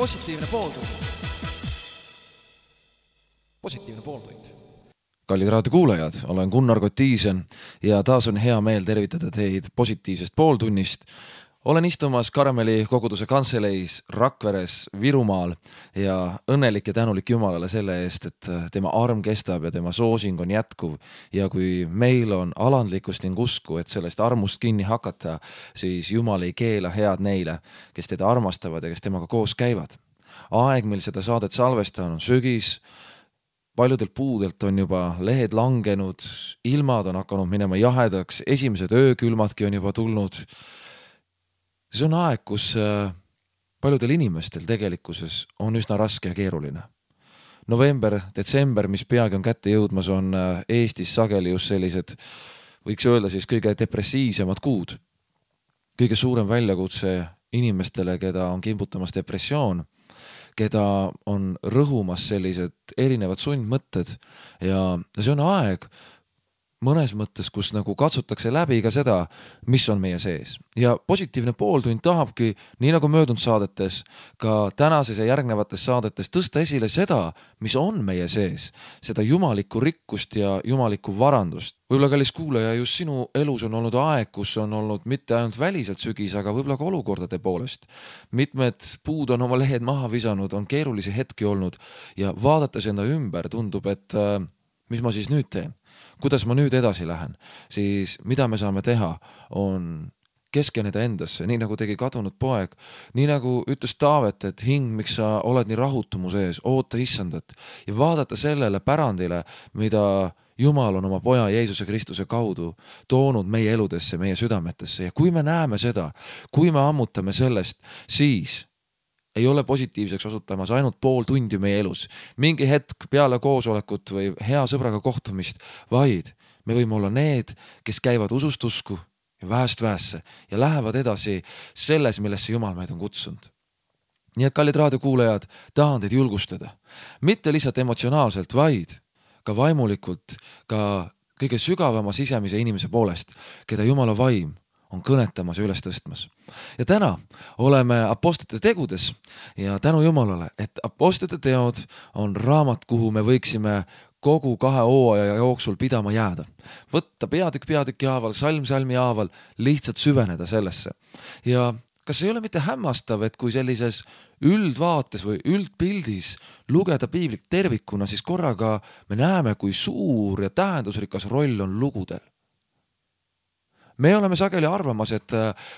Positiivne pooltund. Positiivne pooltund. Kallid raadiokuulajad, olen Gunnar Kotiisen ja taas on hea meel tervitada teid positiivsest pooltunnist. Olen istumas Karmeli koguduse kantseleis Rakveres Virumaal ja õnnelik ja tänulik Jumalale selle eest, et tema arm kestab ja tema soosing on jätkuv. Ja kui meil on alandlikkust ning usku, et sellest armust kinni hakata, siis Jumal ei keela head neile, kes teda armastavad ja kes temaga koos käivad. Aeg, mil seda saadet salvestan, on sügis. Paljudelt puudelt on juba lehed langenud, ilmad on hakanud minema jahedaks, esimesed öökülmadki on juba tulnud. See on aeg, kus paljudel inimestel tegelikkuses on üsna raske ja keeruline. November, detsember, mis peagi on kätte jõudmas, on Eestis sageli just sellised, võiks öelda siis kõige depressiivsemad kuud. Kõige suurem väljakutse inimestele, keda on kimbutamas depressioon, keda on rõhumas sellised erinevad sundmõtted ja see on aeg mõnes mõttes, kus nagu katsutakse läbi ka seda, mis on meie sees. Ja positiivne pooltund tahabki, nii nagu möödunud saadetes, ka tänases ja järgnevates saadetes tõsta esile seda, mis on meie sees, seda jumalikku rikkust ja jumalikku varandust. Võib-olla kallis kuulaja, just sinu elus on olnud aeg, kus on olnud mitte ainult väliselt sügis, aga võib-olla ka olukordade poolest. Mitmed puud on oma lehed maha visanud, on keerulisi hetki olnud ja vaadates enda ümber tundub, et mis ma siis nüüd teen? Kuidas ma nüüd edasi lähen? Siis mida me saame teha on keskeneda endasse, nii nagu tegi kadunud poeg, nii nagu ütles Taavet, et hing, miks sa oled nii rahutu mu sees, oota issandat ja vaadata sellele pärandile, mida Jumal on oma poja Jeesuse Kristuse kaudu toonud meie eludesse, meie südametesse ja kui me näeme seda, kui me ammutame sellest, siis ei ole positiivseks osutamas ainult pool tundi meie elus, mingi hetk peale koosolekut või hea sõbraga kohtumist, vaid me võime olla need, kes käivad usust usku ja vähest vähesse ja lähevad edasi selles, millesse Jumal meid on kutsunud. Nii et kallid raadiokuulajad, tahan teid julgustada. Mitte lihtsalt emotsionaalselt, vaid ka vaimulikult, ka kõige sügavama sisemise inimese poolest, keda Jumala vaim on kõnetamas ja üles tõstmas. Ja täna oleme apostlite tegudes ja tänu Jumalale, et apostlite teod on raamat, kuhu me võiksime kogu 2 hooaja jooksul pidama jääda. Võtta peatükk haaval, salm salmi haaval, lihtsalt süveneda sellesse. Ja kas ei ole mitte hämmastav, et kui sellises üldvaates või üldpildis lugeda piiblit tervikuna, siis korraga me näeme, kui suur ja tähendusrikas roll on lugudel. Me oleme sageli arvamas, et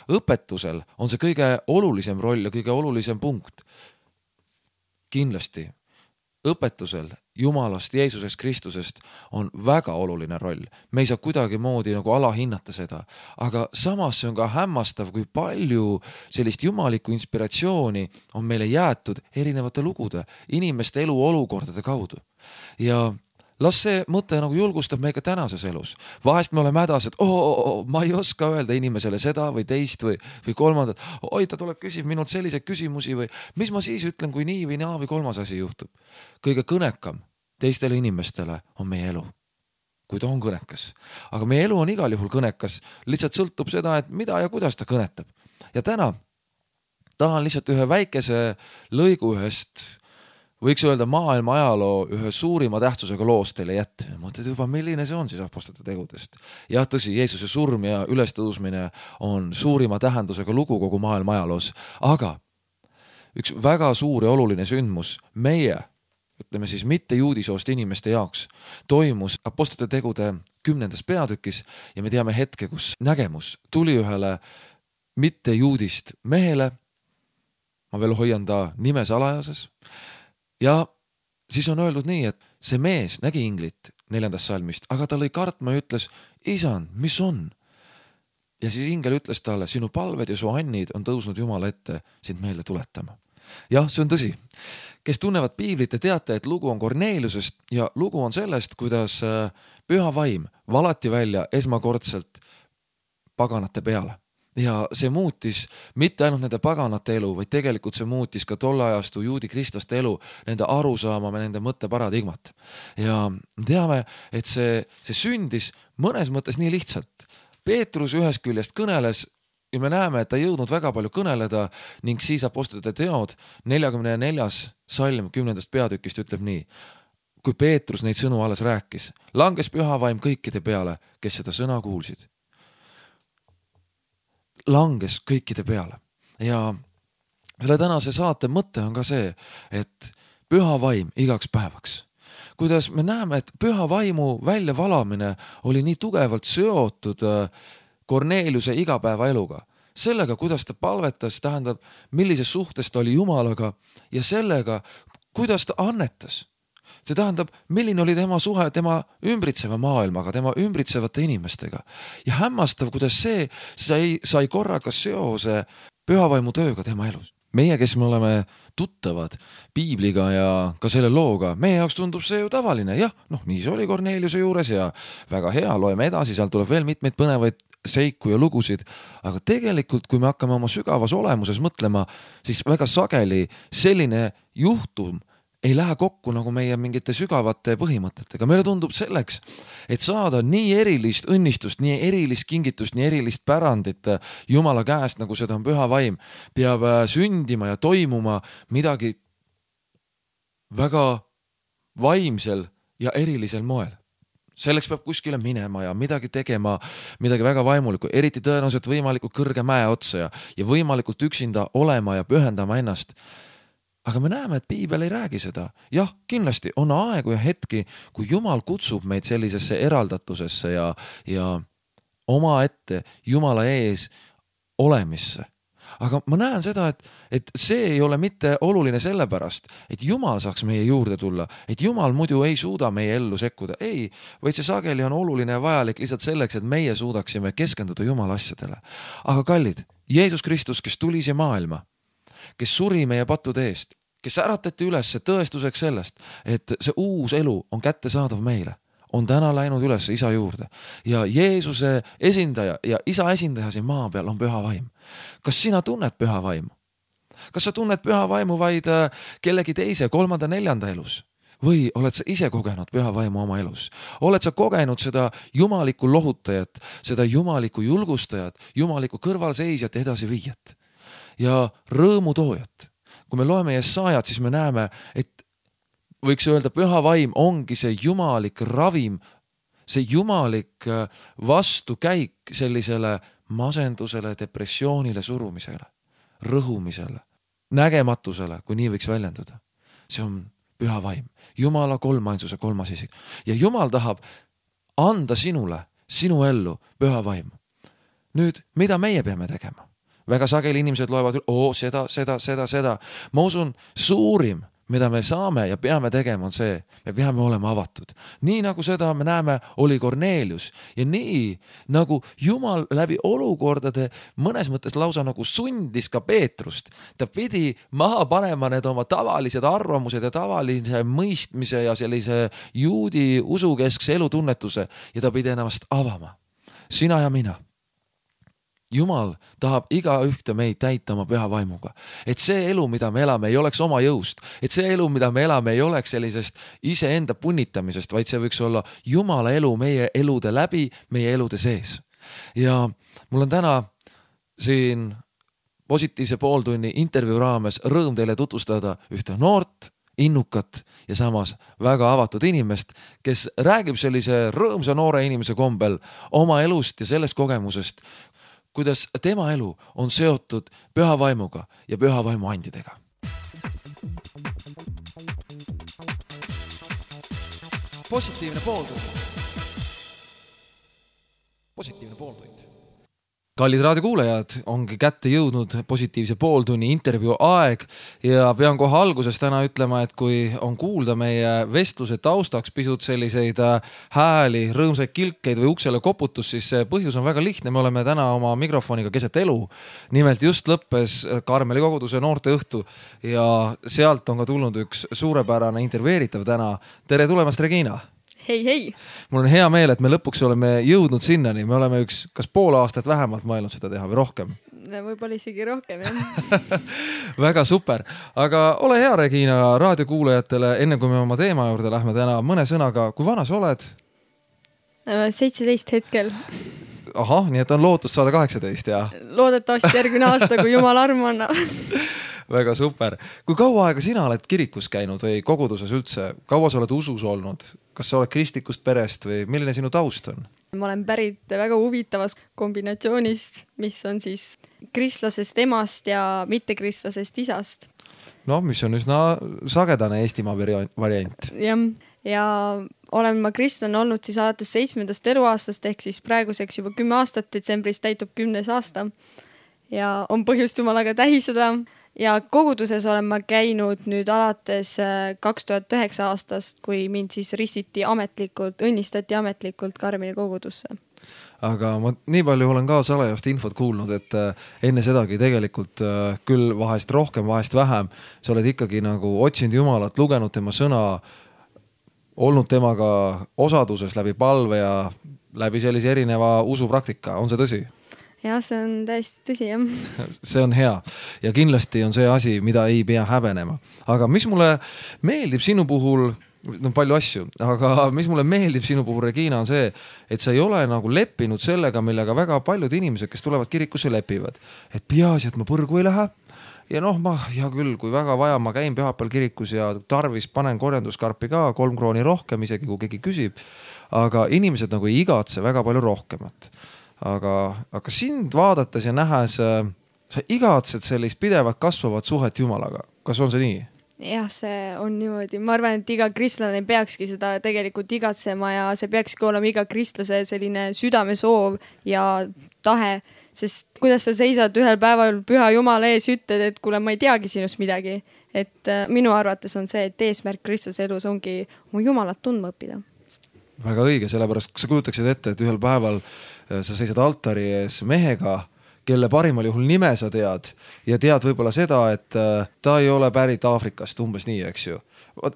õpetusel on see kõige olulisem roll ja kõige olulisem punkt. Kindlasti õpetusel Jumalast, Jeesusest Kristusest on väga oluline roll. Me ei saa kuidagi moodi nagu alahinnata seda, aga samas see on ka hämmastav, kui palju sellist jumalikku inspiratsiooni on meile jäetud erinevate lugude, inimeste elu olukordade kaudu. Ja las see mõte nagu julgustab meiega tänases elus. Vahest me oleme hädas, et ma ei oska öelda inimesele seda või teist või kolmandat. Oi, ta tuleb küsib minult selliseid küsimusi või mis ma siis ütlen, kui nii või naa või kolmas asi juhtub. Kõige kõnekam teistele inimestele on meie elu, kui ta on kõnekas. Aga meie elu on igal juhul kõnekas, lihtsalt sõltub seda, et mida ja kuidas ta kõnetab. Ja täna tahan lihtsalt ühe väikese lõigu ühest võiks öelda maailma ajaloo ühe suurima tähtsusega loost teile jätta. Mõtled juba, milline see on siis apostlite tegudest. Jah, tõsi, Jeesuse surm ja ülestõusmine on suurima tähendusega lugu kogu maailma ajaloos. Aga üks väga suur ja oluline sündmus meie, ütleme siis mitte juudisoost inimeste jaoks, toimus apostlite tegude 10. peatükis ja me teame hetke, kus nägemus tuli ühele mitte juudist mehele. Ma veel hoian ta nime salajases. Ja siis on öeldud nii, et see mees nägi inglit 4. salmist, aga ta lõi kartma ja ütles, isand, mis on? Ja siis ingel ütles talle, sinu palved ja su annid on tõusnud Jumala ette sind meelde tuletama. Jah, see on tõsi. Kes tunnevad piiblit ja teate, et lugu on Korneeliusest ja lugu on sellest, kuidas püha vaim valati välja esmakordselt paganate peale. Ja see muutis mitte ainult nende paganate elu, vaid tegelikult see muutis ka tolle ajastu juudi kristlaste elu, nende arusaama, nende mõtteparadigmat. Ja teame, et see sündis mõnes mõttes nii lihtsalt. Peetrus ühest küljest kõneles ja me näeme, et ta jõudnud väga palju kõneleda ning siis Apostlite teod 44. salm 10. peatükist ütleb nii. Kui Peetrus neid sõnu alles rääkis, langes püha vaim kõikide peale, kes seda sõna kuulsid. Langes kõikide peale. Ja selle tänase saate mõte on ka see, et püha vaim igaks päevaks. Kuidas me näeme, et püha vaimu väljavalamine oli nii tugevalt seotud Korneeliuse igapäevaeluga. Sellega, kuidas ta palvetas, tähendab, millises suhtes ta oli Jumalaga ja sellega, kuidas ta annetas. See tähendab, milline oli tema suhe tema ümbritseva maailmaga, tema ümbritsevate inimestega. Ja hämmastav, kuidas see sai korraga seose pühavaimu tööga tema elus. Meie, kes me oleme tuttavad piibliga ja ka selle looga, meie jaoks tundub see ju tavaline. Jah, nii see oli Korneeliuse juures ja väga hea, loeme edasi, seal tuleb veel mitmeid põnevaid seiku ja lugusid, aga tegelikult, kui me hakkame oma sügavas olemuses mõtlema, siis väga sageli selline juhtum ei lähe kokku nagu meie mingite sügavate põhimõtetega. Meile tundub selleks, et saada nii erilist õnnistust, nii erilist kingitust, nii erilist pärandit Jumala käest, nagu seda on püha vaim, peab sündima ja toimuma midagi väga vaimsel ja erilisel moel. Selleks peab kuskile minema ja midagi tegema, midagi väga vaimulikku, eriti tõenäoliselt võimalikult kõrge mäe otsa ja võimalikult üksinda olema ja pühendama ennast. Aga me näeme, et piibel ei räägi seda. Jah, kindlasti on aegu ja hetki, kui Jumal kutsub meid sellisesse eraldatusesse ja oma ette Jumala ees olemisse. Aga ma näen seda, et see ei ole mitte oluline sellepärast, et Jumal saaks meie juurde tulla, et Jumal muidu ei suuda meie ellu sekkuda. Ei, vaid see sageli on oluline ja vajalik lihtsalt selleks, et meie suudaksime keskenduda Jumala asjadele. Aga kallid, Jeesus Kristus, kes tuli siia maailma, kes suri meie pattude eest, kes äratati üles tõestuseks sellest, et see uus elu on kättesaadav meile, on täna läinud üles isa juurde ja Jeesuse esindaja ja isa esindaja siin maa peal on püha vaim. Kas sina tunned püha vaimu? Kas sa tunned püha vaimu vaid kellegi teise, 3., 4. elus? Või oled sa ise kogenud püha vaimu oma elus? Oled sa kogenud seda jumalikku lohutajat, seda jumalikku julgustajat, jumalikku kõrvalseisjat ja edasi viijat ja rõõmutoojat? Kui me loeme Jesaajat, siis me näeme, et võiks öelda, püha vaim ongi see jumalik ravim, see jumalik vastukäik sellisele masendusele, depressioonile, surumisele, rõhumisele, nägematusele, kui nii võiks väljenduda. See on püha vaim, Jumala kolmainsuse 3. isik. Ja Jumal tahab anda sinule, sinu ellu püha vaimu. Nüüd, mida meie peame tegema? Väga sageli inimesed loevad, seda. Ma usun, suurim, mida me saame ja peame tegema, on see, me peame olema avatud. Nii nagu seda me näeme, oli Korneelius ja nii nagu Jumal läbi olukordade mõnes mõttes lausa nagu sundis ka Peetrust. Ta pidi maha panema need oma tavalised arvamused ja tavalise mõistmise ja sellise juudi usukeskse elutunnetuse ja ta pidi ennast avama. Sina ja mina. Jumal tahab igaühte meid täita oma püha vaimuga. Et see elu, mida me elame, ei oleks oma jõust. Et see elu, mida me elame, ei oleks sellisest iseenda punnitamisest, vaid see võiks olla Jumala elu meie elude läbi, meie elude sees. Ja mul on täna siin positiivse pooltunni intervjuu raames rõõm teile tutvustada ühte noort, innukat ja samas väga avatud inimest, kes räägib sellise rõõmsa noore inimese kombel oma elust ja sellest kogemusest, kuidas tema elu on seotud püha vaimuga ja püha vaimu andidega. Positiivne pooltund. Kallid raadiokuulajad, ongi kätte jõudnud positiivse pooltunni intervjuu aeg ja pean kohe alguses täna ütlema, et kui on kuulda meie vestluse taustaks pisut selliseid hääli, rõõmsaid kilkeid või uksele koputus, siis see põhjus on väga lihtne. Me oleme täna oma mikrofoniga keset elu. Nimelt just lõppes Karmeli koguduse noorteõhtu ja sealt on ka tulnud üks suurepärane intervjueeritav täna. Tere tulemast, Regina! Hei! Mul on hea meel, et me lõpuks oleme jõudnud sinnani. Me oleme kas pool aastat vähemalt mõelnud seda teha või rohkem. Võib-olla isegi rohkem, jah. Väga super. Aga ole hea, Regina, raadiokuulajatele, enne kui me oma teema juurde lähme täna mõne sõnaga. Kui vana sa oled? 17 hetkel. ahah, nii et on lootus saada 18 ja Loodetavasti järgmine aasta, kui jumal armu annab. väga super. Kui kaua aega sina oled kirikus käinud või koguduses üldse? Kaua sa oled usus olnud? Kas sa oled kristlikust perest või milline sinu taust on? Ma olen pärit väga huvitavast kombinatsioonist, mis on siis kristlasest emast ja mittekristlasest isast. No, mis on üsna sagedane Eestimaa variant. Ja olen ma kristlane olnud siis alates 7. eluaastast ehk siis praeguseks juba 10 aastat, detsembris täitub 10. aasta ja on põhjust Jumalaga tähistada. Ja koguduses olen ma käinud nüüd alates 2009 aastast, kui mind siis õnnistati ametlikult Karmeli kogudusse. Aga ma nii palju olen ka salajast infot kuulnud, et enne sedagi tegelikult küll vahest rohkem, vahest vähem, sa oled ikkagi nagu otsinud Jumalat, lugenud tema sõna, olnud temaga osaduses läbi palve ja läbi sellise erineva usupraktika. On see tõsi? Jah, see on täiesti tõsi, jah. See on hea ja kindlasti on see asi, mida ei pea häbenema. Aga mis mulle meeldib sinu puhul, palju asju, aga mis mulle meeldib sinu puhul, Regina, on see, et sa ei ole nagu leppinud sellega, millega väga paljud inimesed, kes tulevad kirikusse, lepivad. Et peaasi, et ma põrgu ei lähe. Ja hea küll, kui väga vaja, ma käin pühapäeval kirikus ja tarvis panen korjanduskarpi ka 3 krooni rohkem, isegi kui keegi küsib. Aga inimesed nagu ei igatse väga palju rohkemat. Aga sind vaadates ja nähes, sa igatsed sellist pidevat kasvavat suhet Jumalaga. Kas on see nii? Jah, see on niimoodi. Ma arvan, et iga kristlane peakski seda tegelikult igatsema ja see peakski olema iga kristlase selline südamesoov ja tahe. Sest kuidas sa seisad ühel päeval püha Jumala ees, ütled, et kuule, ma ei teagi sinust midagi. Et minu arvates on see, et eesmärk kristlase elus ongi mu Jumalat tundma õppida. Väga õige, sellepärast sa kujutaksid ette, et ühel päeval sa seisad altari ees mehega, kelle parimal juhul nime sa tead ja tead võib-olla seda, et ta ei ole pärit Aafrikast, umbes nii, eks ju.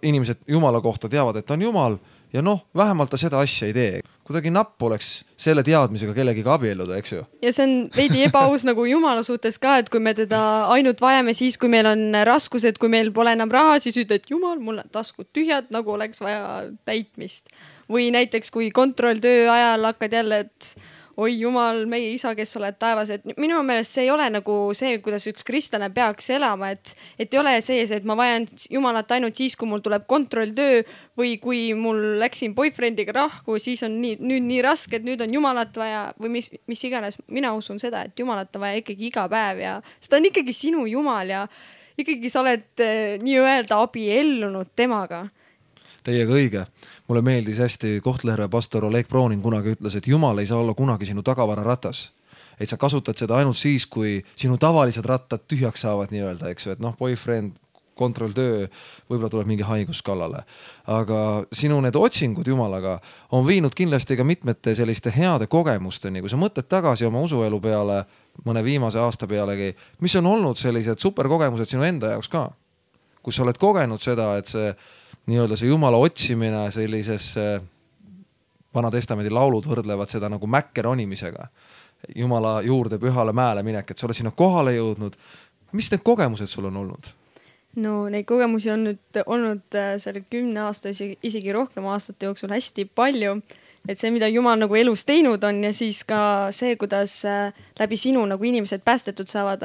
Inimesed Jumala kohta teavad, et ta on Jumal ja vähemalt ta seda asja ei tee. Kuidagi napp oleks selle teadmisega kellegiga abielluda, eks ju. Ja see on veidi ebaaus nagu Jumala suhtes ka, et kui me teda ainult vajame siis, kui meil on raskused, kui meil pole enam raha, siis ütled, Jumal, mul on taskud tühjad, nagu oleks vaja täitmist. Või näiteks, kui kontrolltöö ajal hakkad jälle, et oi Jumal, meie isa, kes oled taevas, et minu meelest see ei ole nagu see, kuidas üks kristlane peaks elama, et ei ole sees, et ma vajan Jumalat ainult siis, kui mul tuleb kontrolltöö või kui mul läksin boyfriendiga rahku, siis on nüüd nii raske, et nüüd on Jumalat vaja või mis iganes. Mina usun seda, et Jumalat on vaja ikkagi iga päev ja seda on ikkagi sinu Jumal ja ikkagi sa oled nii-öelda abiellunud temaga. Teiega õige. Mulle meeldis hästi Kohtla-Järve pastor Oleg Browning kunagi ütles, et Jumal ei saa olla kunagi sinu tagavararatas. Et sa kasutad seda ainult siis, kui sinu tavalised rattad tühjaks saavad nii-öelda, eks ju, et boyfriend, kontrolltöö, võib-olla tuleb mingi haigus kallale. Aga sinu need otsingud Jumalaga on viinud kindlasti ka mitmete selliste heade kogemusteni, kui sa mõtled tagasi oma usuelu peale, mõne viimase aasta pealegi, mis on olnud sellised superkogemused sinu enda jaoks ka, kus sa oled kogenud seda, et see nii-öelda see Jumala otsimine sellises Vana Testamendi laulud võrdlevad seda nagu mäkke ronimisega. Jumala juurde pühale mäele minek, et sa oled sinna kohale jõudnud. Mis need kogemused sul on olnud? No neid kogemusi on nüüd olnud selle 10 aasta, isegi rohkem aastate jooksul hästi palju. Et see, mida Jumal nagu elus teinud on ja siis ka see, kuidas läbi sinu nagu inimesed päästetud saavad,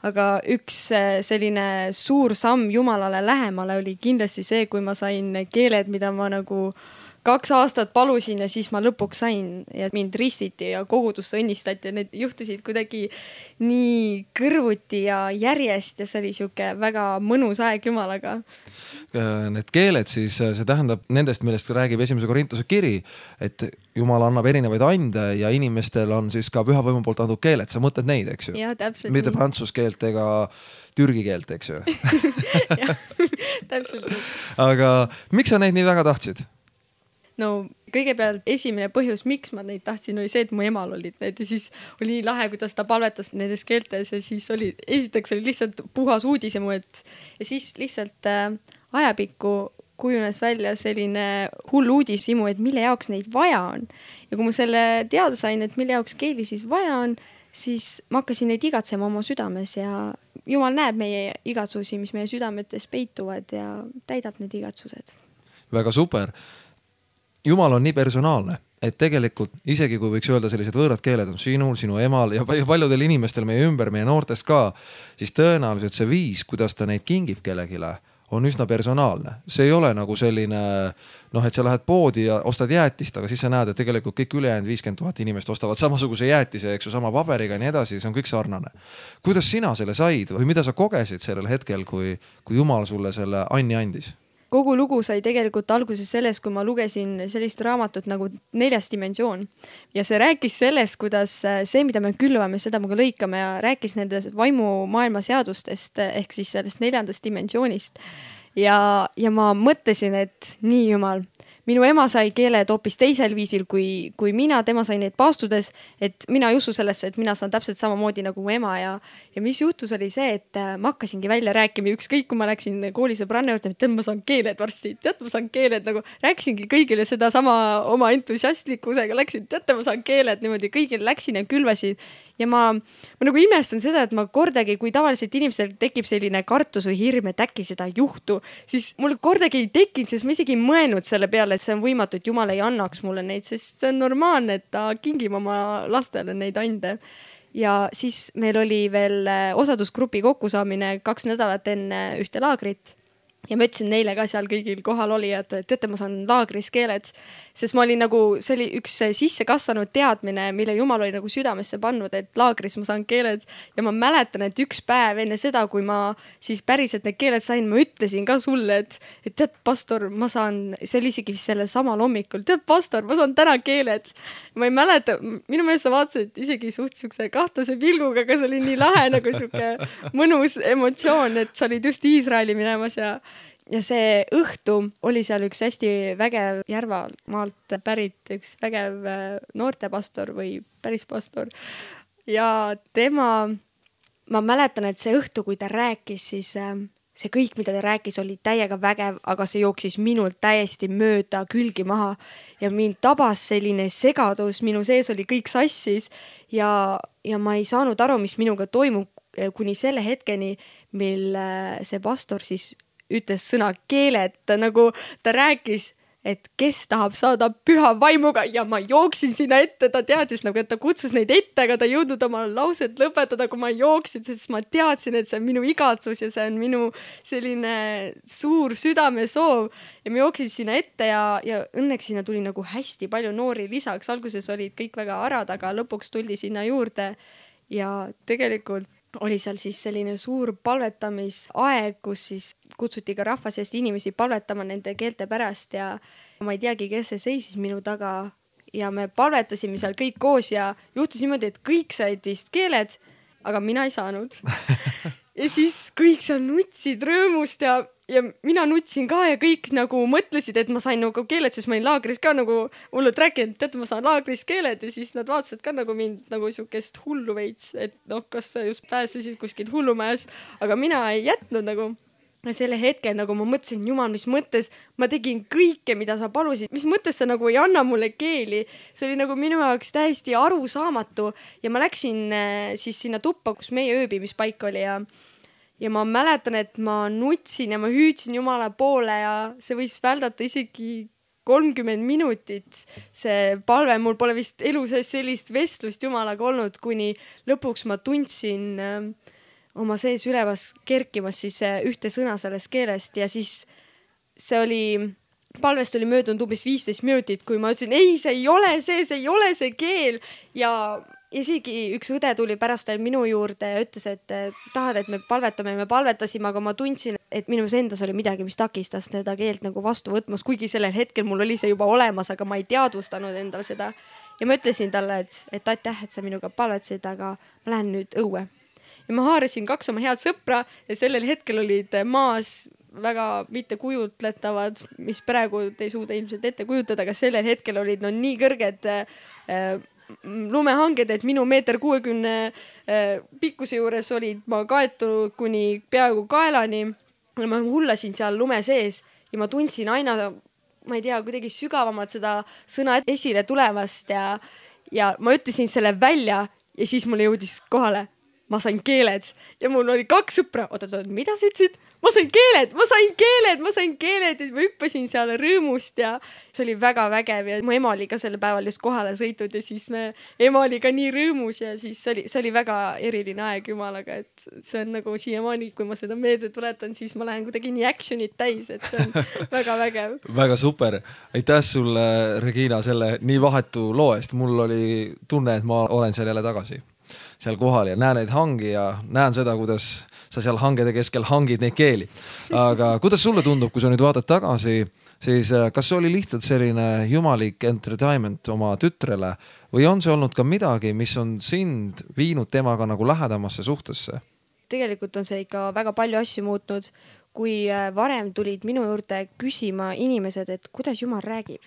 aga üks selline suur samm Jumalale lähemale oli kindlasti see, kui ma sain keeled, mida ma nagu 2 aastat palusin ja siis ma lõpuks sain ja mind ristiti ja kogudusse õnnistati ja need juhtusid kuidagi nii kõrvuti ja järjest ja see oli siuke väga mõnus aeg Jumalaga. Need keeled siis, see tähendab nendest, millest räägib 1. Korintuse kiri, et Jumal annab erinevaid ande ja inimestel on siis ka pühavõimu poolt antud keeled. Sa mõtled neid, eks ju? Jah, täpselt. Mitte prantsuse keelt ega türgi keelt, eks ju? Jah, täpselt. Aga miks sa neid nii väga tahtsid? No kõigepealt esimene põhjus, miks ma neid tahtsin, oli see, et mu emal olid need ja siis oli nii lahe, kuidas ta palvetas nendes keeltes ja siis esiteks oli lihtsalt puhas uudisemu, ja siis lihtsalt ajapikku kujunes välja selline hull uudishimu, et mille jaoks neid vaja on. Ja kui ma selle teada sain, et mille jaoks keeli siis vaja on, siis ma hakkasin neid igatsema oma südames ja Jumal näeb meie igatsusi, mis meie südametes peituvad ja täidab need igatsused. Väga super. Jumal on nii personaalne, et tegelikult isegi kui võiks öelda sellised võõrad keeled on sinul, sinu emal ja paljudel inimestel meie ümber, meie noortest ka, siis tõenäoliselt see viis, kuidas ta neid kingib kellegile, on üsna personaalne. See ei ole nagu selline, et sa lähed poodi ja ostad jäätist, aga siis sa näed, et tegelikult kõik ülejäänud 50 000 inimest ostavad samasuguse jäätise, eks ju, sama paberiga ja nii edasi, see on kõik sarnane. Kuidas sina selle said või mida sa kogesid sellel hetkel, kui Jumal sulle selle anni andis? Kogu lugu sai tegelikult alguses sellest, kui ma lugesin sellist raamatut nagu 4. dimensioon. Ja see rääkis sellest, kuidas see, mida me külvame, seda me ka lõikame ja rääkis nendest vaimumaailma seadustest ehk siis sellest 4. dimensioonist. Ja ma mõtlesin, et nii Jumal, minu ema sai keeled hoopis teisel viisil kui mina, tema sai neid paastudes, et mina ei usu sellesse, et mina saan täpselt samamoodi nagu mu ema ja mis juhtus oli see, et ma hakkasingi välja rääkima ükskõik, kui ma läksin koolisõbranna juurde, et ma saan keeled varsti, ma saan keeled, nagu rääkisingi kõigile seda sama oma entusiastlikkusega, läksin, ma saan keeled niimoodi, kõigile läksin ja külvasin. Ja ma nagu imestan seda, et ma kordagi, kui tavaliselt inimestel tekib selline kartus või hirm, et äkki seda ei juhtu, siis mul kordagi ei tekkinud, sest ma isegi ei mõelnud selle peale, et see on võimatu, et Jumal ei annaks mulle neid, sest see on normaalne, et ta kingib oma lastele neid ande. Ja siis meil oli veel osadusgrupi kokkusaamine 2 nädalat enne ühte laagrit. Ja ma ütlesin neile ka seal kõigil kohal oli, et teate, ma saan laagris keeled, sest ma olin nagu, see oli üks sisse kasvanud teadmine, mille Jumal oli nagu südamesse pannud, et laagris ma saan keeled. Ja ma mäletan, et üks päev enne seda, kui ma siis päriselt need keeled sain, ma ütlesin ka sulle, et tead, pastor, ma saan, see oli isegi selle samal hommikul, tead, pastor, ma saan täna keeled. Ma ei mäleta, minu meelest sa vaatasid isegi suht siukse kahtlase pilguga, aga see oli nii lahe nagu siuke mõnus emotsioon, et sa olid just Iisraeli minemas ja see õhtu oli seal üks hästi vägev Järvamaalt pärit üks vägev noortepastor või päris pastor. Ja tema, ma mäletan, et see õhtu, kui ta rääkis, siis see kõik, mida ta rääkis, oli täiega vägev, aga see jooksis minult täiesti mööda külgi maha ja mind tabas selline segadus, minu sees oli kõik sassis ja ma ei saanud aru, mis minuga toimub kuni selle hetkeni, mil see pastor siis ütles sõna keeled, nagu ta rääkis, et kes tahab saada püha vaimuga ja ma jooksin sinna ette, ta teadis nagu, et ta kutsus neid ette, aga ta ei jõudnud oma lauset lõpetada, kui ma jooksin, sest ma teadsin, et see on minu igatsus ja see on minu selline suur südamesoov ja ma jooksin sinna ette ja õnneks sinna tuli nagu hästi palju noori lisaks, alguses olid kõik väga arad, aga lõpuks tuldi sinna juurde ja tegelikult oli seal siis selline suur palvetamisaeg, kus siis kutsuti ka rahva seest inimesi palvetama nende keelte pärast ja ma ei teagi, kes see seisis minu taga ja me palvetasime seal kõik koos ja juhtus niimoodi, et kõik said vist keeled, aga mina ei saanud. Ja siis kõik seal nutsid rõõmust ja mina nutsin ka ja kõik nagu mõtlesid, et ma sain nagu keeled, sest ma olin laagris ka nagu hullult rääkinud, et ma saan laagris keeled ja siis nad vaatasid ka nagu mind nagu siukest hullu veits, et kas sa just pääsesid kuskilt hullumajast, aga mina ei jätnud nagu. Ja selle hetke nagu ma mõtlesin, Jumal, mis mõttes ma tegin kõike, mida sa palusid, mis mõttes sa nagu ei anna mulle keeli. See oli nagu minu jaoks täiesti arusaamatu ja ma läksin siis sinna tuppa, kus meie ööbimispaik oli ja ma mäletan, et ma nutsin ja ma hüüdsin Jumala poole ja see võis väldata isegi 30 minutit. See palve, mul pole vist elu sees sellist vestlust Jumalaga olnud, kuni lõpuks ma tundsin oma sees ülevas kerkimas siis ühte sõna sellest keelest ja siis see oli, palvest oli möödunud umbes 15 minutit, kui ma ütlesin, ei, see ei ole see keel ja isegi üks õde tuli pärast veel minu juurde ja ütles, et tahad, et me palvetame ja me palvetasime, aga ma tundsin, et minus endas oli midagi, mis takistas seda keelt nagu vastu võtmas, kuigi sellel hetkel mul oli see juba olemas, aga ma ei teadvustanud endal seda. Ja ma ütlesin talle, et aitäh, et sa minuga palvetasid, aga ma lähen nüüd õue. Ja ma haarasin 2 oma head sõpra ja sellel hetkel olid maas väga mitte kujutletavad, mis praegu te ei suuda ilmselt ette kujutada, aga sellel hetkel olid nii kõrged lumehanged, et minu 1,60 meetri pikkuse juures olid ma kaetud kuni peaaegu kaelani. Ma hullasin seal lume sees ja ma tundsin aina, ma ei tea, kuidagi sügavamalt seda sõna esile tulevast ja ma ütlesin selle välja ja siis mulle jõudis kohale. ma sain keeled ja mul oli 2 sõpra. Oot, mida sa ütlesid? Ma sain keeled ja ma hüppasin seal rõõmust ja see oli väga vägev ja mu ema oli ka selle päeval just kohale sõitud ja siis ema oli ka nii rõõmus ja siis see oli väga eriline aeg jumalaga, et see on nagu siiamaani, kui ma seda meelde tuletan, siis ma lähen kuidagi nii action'it täis, et see on väga vägev. Väga super. Aitäh sulle, Regina, selle nii vahetu loo eest. Mul oli tunne, et ma olen seal jälle tagasi seal kohal ja näen neid hangi ja näen seda, kuidas sa seal hangede keskel hangid neid keeli. Aga kuidas sulle tundub, kui sa nüüd vaatad tagasi, siis kas see oli lihtsalt selline jumalik entertainment oma tütrele või on see olnud ka midagi, mis on sind viinud temaga nagu lähedamasse suhtesse? Tegelikult on see ikka väga palju asju muutnud. Kui varem tulid minu juurde küsima inimesed, et kuidas Jumal räägib,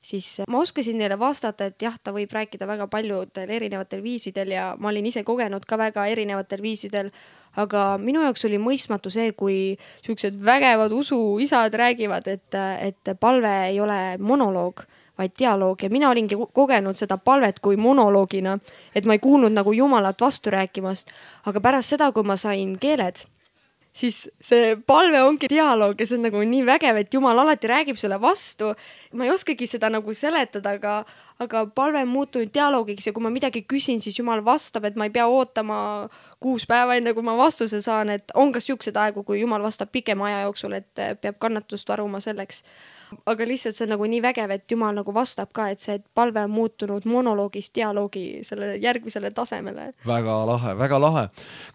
siis ma oskasin neile vastata, et jah, ta võib rääkida väga paljudel erinevatel viisidel ja ma olin ise kogenud ka väga erinevatel viisidel, aga minu jaoks oli mõistmatu see, kui siuksed vägevad usuisad räägivad, et palve ei ole monoloog, vaid dialoog ja mina olingi kogenud seda palvet kui monoloogina, et ma ei kuulnud nagu Jumalat vastu rääkimast, aga pärast seda, kui ma sain keeled, siis see palve ongi dialoog ja see on nagu nii vägev, et Jumal alati räägib sulle vastu. Ma ei oskagi seda nagu seletada, aga palve on muutunud dialoogiks ja kui ma midagi küsin, siis Jumal vastab, et ma ei pea ootama 6 päeva enne, kui ma vastuse saan, et on ka siuksed aegu, kui Jumal vastab pikema aja jooksul, et peab kannatust varuma selleks. Aga lihtsalt see on nagu nii vägev, et Jumal nagu vastab ka, et see palve on muutunud monoloogist dialoogi sellele järgmisele tasemele. Väga lahe, väga lahe.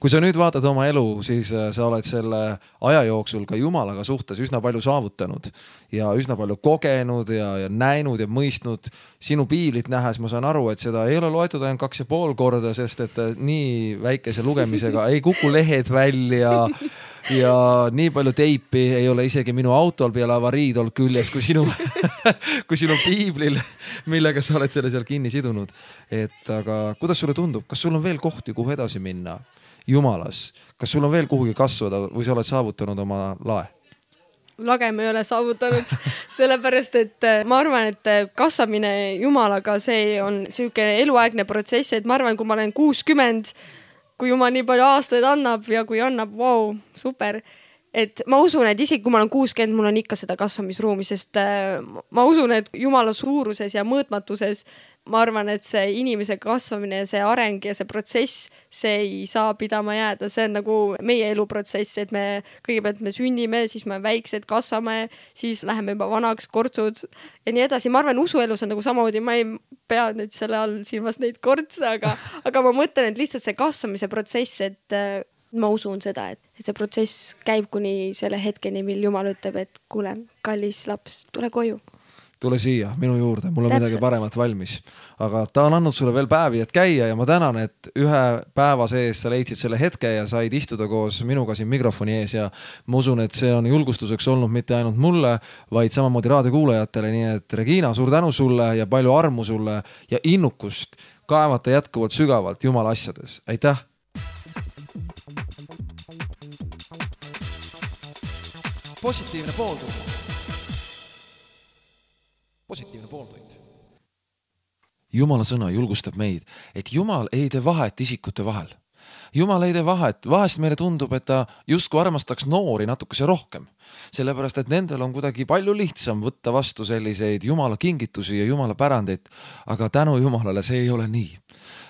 Kui sa nüüd vaatad oma elu, siis sa oled selle aja jooksul ka Jumalaga suhtes üsna palju saavutanud ja üsna palju kogenud ja näinud ja mõistnud. Sinu piiblit nähes ma saan aru, et seda ei ole loetud ainult 2,5 korda, sest et nii väikese lugemisega ei kuku lehed välja ja nii palju teipi ei ole isegi minu autol peale avariid olnud küljes kui sinu piiblil, millega sa oled selle seal kinni sidunud. Aga kuidas sulle tundub, kas sul on veel kohti, kuhu edasi minna Jumalas? Kas sul on veel kuhugi kasvada või sa oled saavutanud oma lae? Lage me ei ole saavutanud, sellepärast et ma arvan, et kasvamine Jumalaga, see on siuke eluaegne protsess, et ma arvan, kui ma olen 60, kui Jumal nii palju aastaid annab ja kui annab, wow, super. Et ma usun, et isegi kui ma olen 60, mul on ikka seda kasvamisruumi, sest ma usun, et Jumala suuruses ja mõõtmatuses, ma arvan, et see inimese kasvamine, see areng ja see protsess, see ei saa pidama jääda. See on nagu meie eluprotsess, et me kõigepealt me sünnime, siis me väiksed kasvame, siis läheme juba vanaks, kortsud ja nii edasi. Ma arvan, usuelus on nagu samamoodi, ma ei pea nüüd selle all silmas neid kortse, aga ma mõtlen, et lihtsalt see kasvamise protsess, et ma usun seda, et see protsess käib kuni selle hetkeni, mil Jumal ütleb, et kuule, kallis laps, tule koju. Tule siia minu juurde, mul on midagi paremat valmis. Aga ta on andnud sulle veel päevi, et käia ja ma tänan, et ühe päeva sees sa leidsid selle hetke ja said istuda koos minuga siin mikrofoni ees ja ma usun, et see on julgustuseks olnud mitte ainult mulle, vaid samamoodi raadiokuulajatele. Nii et Regina, suur tänu sulle ja palju armu sulle ja innukust kaevata jätkuvalt sügavalt Jumala asjades. Aitäh! Positiivne pooltund. Positiivne pooltund. Jumala sõna julgustab meid, et Jumal ei tee vahet isikute vahel. Jumal ei tee vahet. Vahest meile tundub, et ta justkui armastaks noori natukese rohkem. Sellepärast, et nendel on kuidagi palju lihtsam võtta vastu selliseid Jumala kingitusi ja Jumala pärandeid. Aga tänu Jumalale see ei ole nii.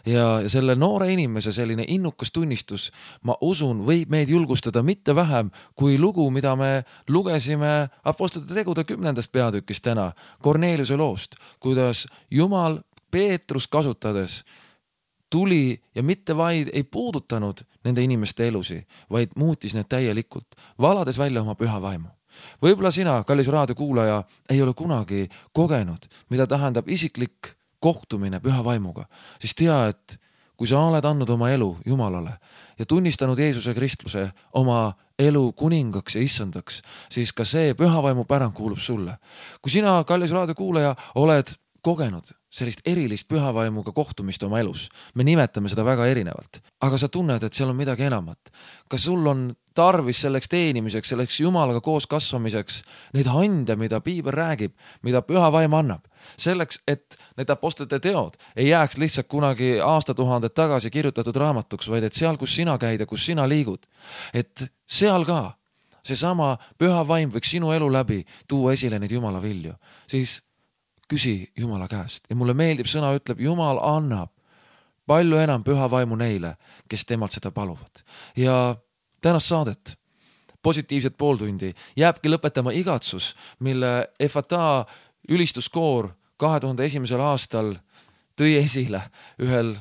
Ja selle noore inimese selline innukas tunnistus, ma usun, võib meid julgustada mitte vähem kui lugu, mida me lugesime Apostlite tegude 10. peatükist täna, Korneliuse loost, kuidas Jumal Peetrus kasutades tuli ja mitte vaid ei puudutanud nende inimeste elusi, vaid muutis need täielikult, valades välja oma püha vaimu. Võib-olla sina, kallis raadiokuulaja, ei ole kunagi kogenud, mida tähendab isiklik kohtumine püha vaimuga, siis tea, et kui sa oled andnud oma elu Jumalale ja tunnistanud Jeesuse Kristluse oma elu kuningaks ja issandaks, siis ka see püha vaimu pärand kuulub sulle. Kui sina, kallis raadiokuulaja, oled kogenud sellist erilist pühavaimuga kohtumist oma elus. Me nimetame seda väga erinevalt, aga sa tunned, et seal on midagi enamat. Kas sul on tarvis selleks teenimiseks, selleks Jumalaga koos kasvamiseks neid hande, mida piibel räägib, mida püha vaim annab. Selleks, et need apostlite teod ei jääks lihtsalt kunagi aastatuhanded tagasi kirjutatud raamatuks, vaid et seal, kus sina käid ja kus sina liigud, et seal ka seesama püha vaim võiks sinu elu läbi tuua esile neid Jumala vilju. Siis küsi Jumala käest. Ja mulle meeldib sõna ütleb, Jumal annab palju enam püha vaimu neile, kes temalt seda paluvad. Ja tänast saadet, positiivset pooltundi, jääbki lõpetama igatsus, mille Efata ülistuskoor 2001. aastal tõi esile ühel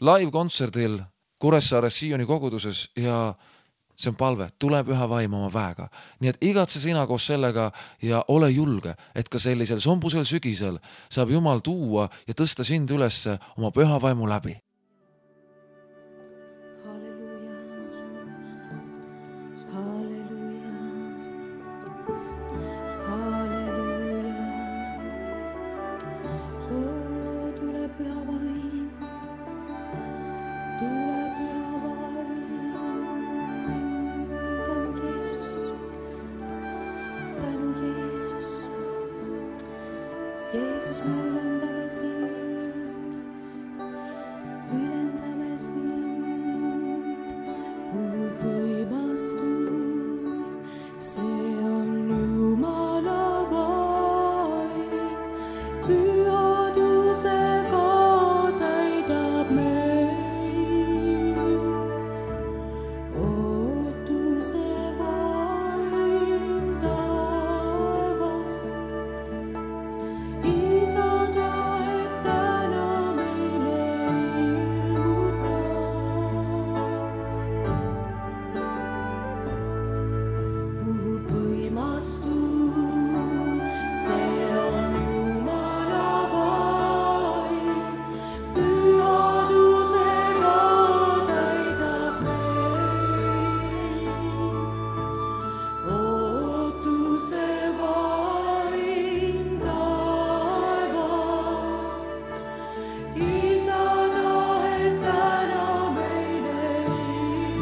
live-kontserdil Kuressaares Sioni koguduses ja see on palve, tule püha vaim oma väega. Nii et igatse sina koos sellega ja ole julge, et ka sellisel sombusel sügisel saab Jumal tuua ja tõsta sind ülesse oma püha vaimu läbi. Jeesus, me ülendame sind, puhub võimastul, see on Jumala vaim, pühadusega täidab meid, ootuse vaim taevast. Isa tahet täna meile ilmutab. Puhub võimastul, see on Jumala vaim, pühadusega täidab meid, ootuse vaim taevast. Isa tahet täna meile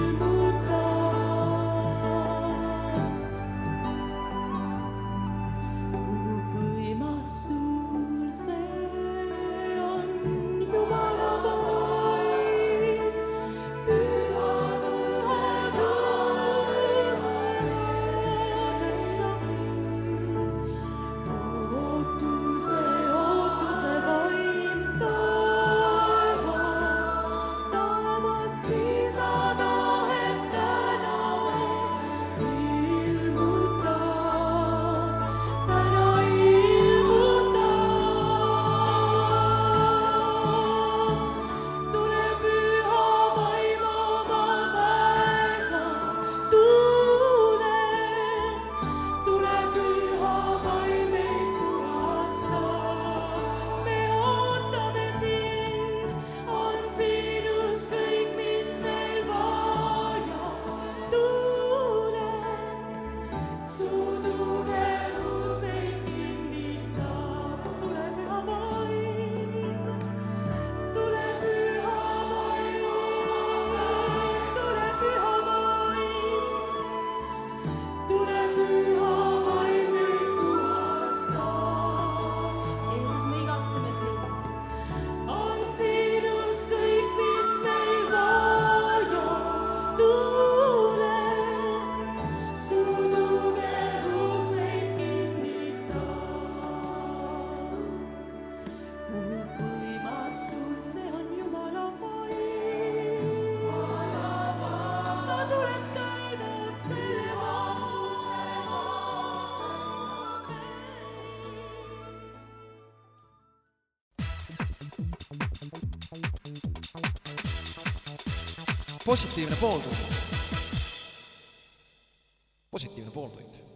ilmutab. Puhub võimastul, see on Jumala vaim, pühadusega täidab meid, ootuse vaim taevast. Isa tahet täna ilmutab, täna ilmutab. Tule püha vaim oma väega, tule püha vaim meid puhastab. Me ootame sind, on sinust kõik, mis meil vaja. Tule, su tugevus meid kinnitab. Tule püha vaim, tule püha vaim, tule püha vaim, tule püha vaim meid puhastab. Jeesus, me igatseme sind, on sinust kõik, mis meil vaja. Tule, su tugevus meid kinnitab. Puhub võimastul, see on Jumala vaim, ta tuleb, täidab selle positiivne pooltund. Positiivne pooltund.